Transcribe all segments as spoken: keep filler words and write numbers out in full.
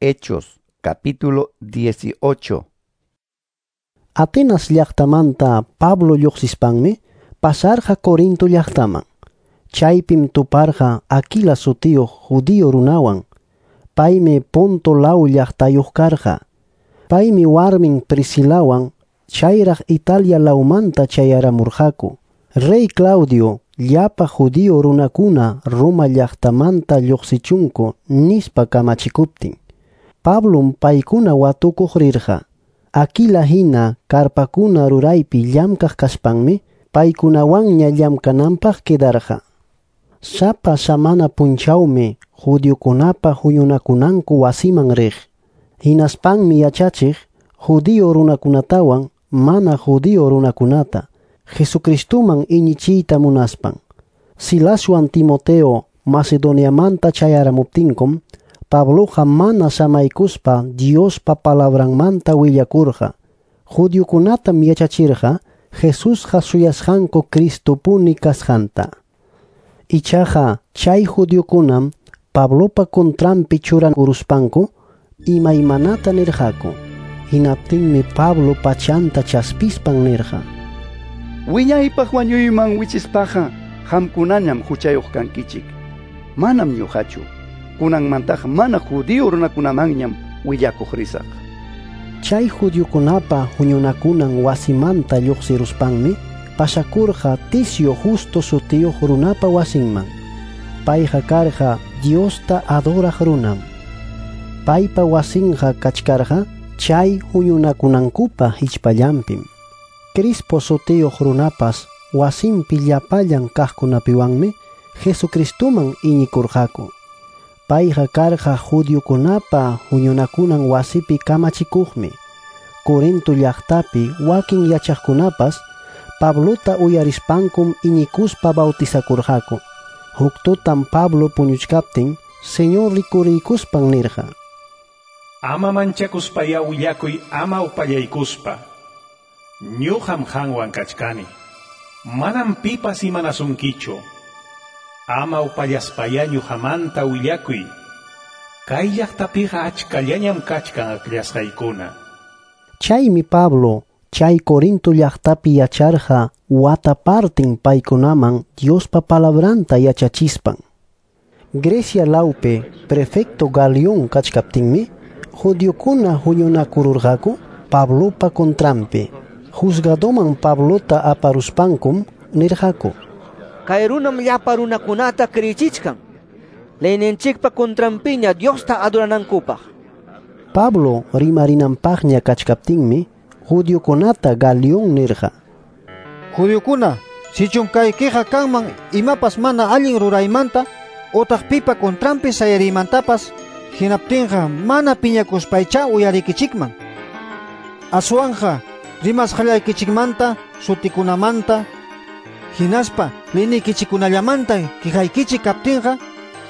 Hechos, capítulo dieciocho. Atenas llaqtamanta Pablo lluqsispanmi pasarqa Corinto llaqtaman. Chaypim tuparqa Aquila sutiyuq judío runawan. Paymi Ponto law llaqtayuq karqa. Paymi warmin Priscilawan chayraq Italia lawmanta chayaramurqaku. Rey Claudio llapa judío runakuna Roma llaqtamanta lluqsichunku nispa kamachikuptin. Pablom paykuna watukuq rirqa. Aquila hina karpakuna ruraypi llamkaq kaspanmi paykunawanña llamkananpaq quedarqa. Sapa samana punchawmi judiokunapa huñunakunanku wasiman riq. Hinaspanmi yachachiq judío runakunatawan mana judío runakunata Jesucristuman iñichiyta munaspan. Silaswan Timoteo Macedoniamanta chayaramuptinkum Pabloqa mana samaykuspa Diospa palabranmanta willakurqa. Judiokunatam yachachirqa Jesusqa suyasqanku Cristopuni kasqanta. Ichaqa chay judiokunam Pablopa contranpi churakuruspanku imaymanata nirqaku. Hinaptinmi Pablo pachanta chaspispan nirqa: Wiñaypaq wañuyman wichispaqa qamkunañam huchayuq kankichik. Manam ñuqachu. Kunanmantaqa mana judío runakunamanñam willakuq risaq. Chay judiokunapa huñunakunan wasimanta lluqsiruspanmi pasakurqa Ticio Justo sutiyuq runapa wasinman. Payqa karqa Diosta adoraq runam. Paypa wasinqa kachkarqa chay huñunakunankupa hichpallanpim. Crispo sutiyuq runapas wasinpi llapallan kaqkunapiwanmi Jesucristuman iñikurqaku. Payqa karqa judiokunapa huñunakunan wasipi kamachikuqmi. Corinto llaqtapi wakin yachaqkunapas Pablota uyarispankum iñikuspa bautizakurqaku. Huk tutam Pablo puñuchkaptin Señor rikuriykuspan nirqa: Ama manchakuspaya willakuy, ama upallaykuspa. Ñuqam qanwan kachkani. Manam pipas imanasunkichu. Ama upallaspaya ñuqamanta willakuy. Kay llaqtapiqa achkallañam kachkan akllasqaykuna. Chaymi Pablo chay Corinto llaqtapi yacharqa wata partin paykunaman Diospa palabranta yachachispan. Grecia lawpi prefecto Galión kachkaptinmi judiokuna huñunakururqaku Pablopa contranpi. Juzgadoman Pablota aparuspankum nirqaku: Kay runam llapa runakunata kriyichichkan leyninchikpa contranpiña Diosta adoranankupaq. Pablo rimarinanpaqña kachkaptinmi judiokunata Galión nirqa: Judiokuna, sichum kay queja kanman imapas mana allin ruraymanta otaq pipa contranpi sayarimantapas, hinaptinqa mana piñakuspaycha uyarikichikman. Aswanja rimasqallaykichikmanta, sutikunamanta, hinaspa leynikichikunallamanta quejaykichik kaptinqa,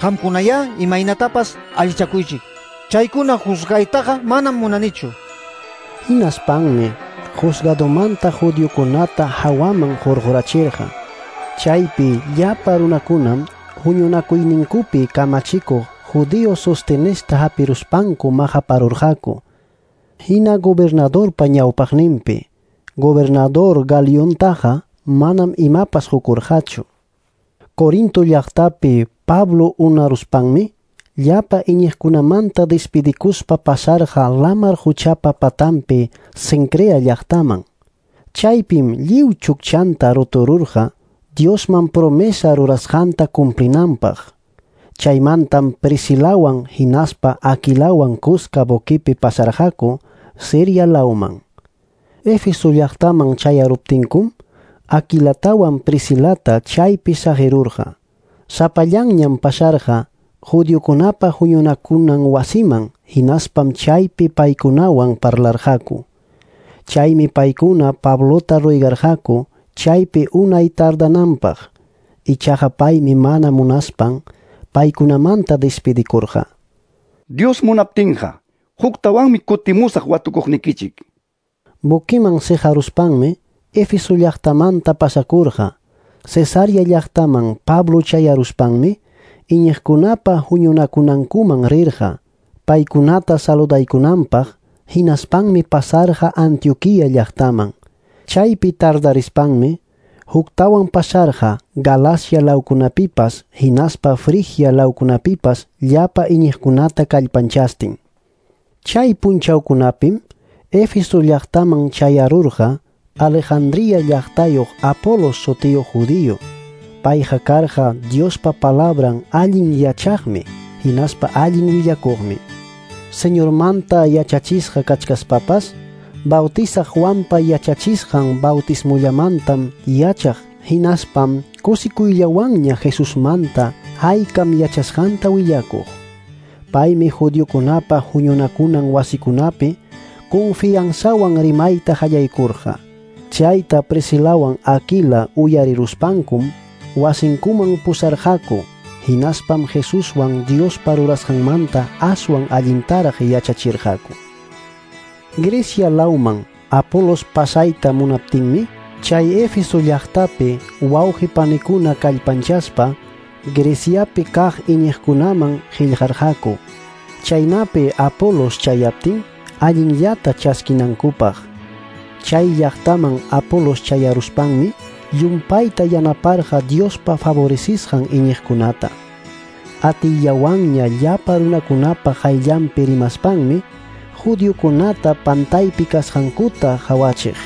qamkunaya imaynatapas allichakuychik. Chaykuna juzgaytaqa manam munanichu. Hinaspanmi juzgadomanta judiokunata hawaman hurqurachirqa. Chaypi llapa runakunam huñunakuyninkupi kamachikuq judío Sostenesta hapiruspanku maqaparurqaku. Hina gobernadorpa ñawpaqninpi. Gobernador Galiontaqa manam imapas hukurqachu. Corinto llaqtapi Pablo unaruspanmi llapa iñiqkunamanta despidikuspa pasarqa lamar huchapa patanpi Cencrea llaqtaman. Chaypim lliw chukchanta rutururqa Diosman promesa rurasqanta cumplinanpaq. Chaymantam Priscilawan hinaspa Aquilawan kuska buquipi pasarqaku Siria lawman. Éfeso llaqtaman chayaruptinkum Aquilatawan Priscilata chaypi saqirurqa. Sapallanñam pasarqa judiokunapa huñunakunan wasiman, hinaspam chaypi paykunawan parlarqaku. Chaymi paykuna Pablota ruegarqaku chaypi unay tardananpaq. Ichaqa paymi mana munaspan paykunamanta despidikurqa. Dios munaptinqa huktawanmi kutimusaq watukuqnikichik. Buquiman siqaruspanmi Éfeso llaqtamanta pasakurqa. Cesarea llaqtaman Pablo chayaruspanmi iñiqkunapa huñunakunankuman rirqa. paykunata saludaykunanpaq, hinaspanmi pasarqa Antioquia llaqtaman. Chaypi tardarispanmi huktawan pasarqa Galacia lawkunapipas hinaspa Frigia lawkunapipas llapa iñiqkunata kallpanchastin. Chay punchawkunapim Éfeso llaqtaman chayarurqa Alejandría llaqtayuq Apolos sutiyuq judío. Payqa karqa Diospa palabran allin yachaqmi hinaspa allin willakuqmi. Señormanta yachachisqa kachkaspapas Bautizaq Juanpa yachachisqan bautismullamantam yachaq hinaspam kusikuyllawanña Jesusmanta haykam yachasqanta willakuq. Paymi judiokunapa huñunakunan wasikunapi confianzawan rimayta qallaykurqa. Chayta Priscilawan Aquila uyariruspankum wasinkuman pusarqaku, hinaspam Jesuswan Diospa rurasqanmanta aswan allintaraq yachachirqaku. Grecia lawman Apolos pasayta munaptinmi, chay Éfeso llaqtapi wawqi panikuna kallpanchaspa Greciapi kaq iñiqkunaman qillqarqaku. Chaynapi Apolos chayaptin allinllata chaskinankupaq. Chay llaqtaman Apolos chayaruspanmi llumpayta yanaparqa Diospa favorecisqan iñiqkunata. Atillawanña llapa runakunapa qayllanpi rimaspanmi judiokunata pantaypi kasqankuta qawachiq.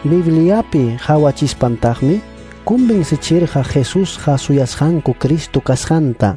Bibliapi qawachispantaqmi convencichirqa Jesusqa suyasqanku Cristo kasqanta.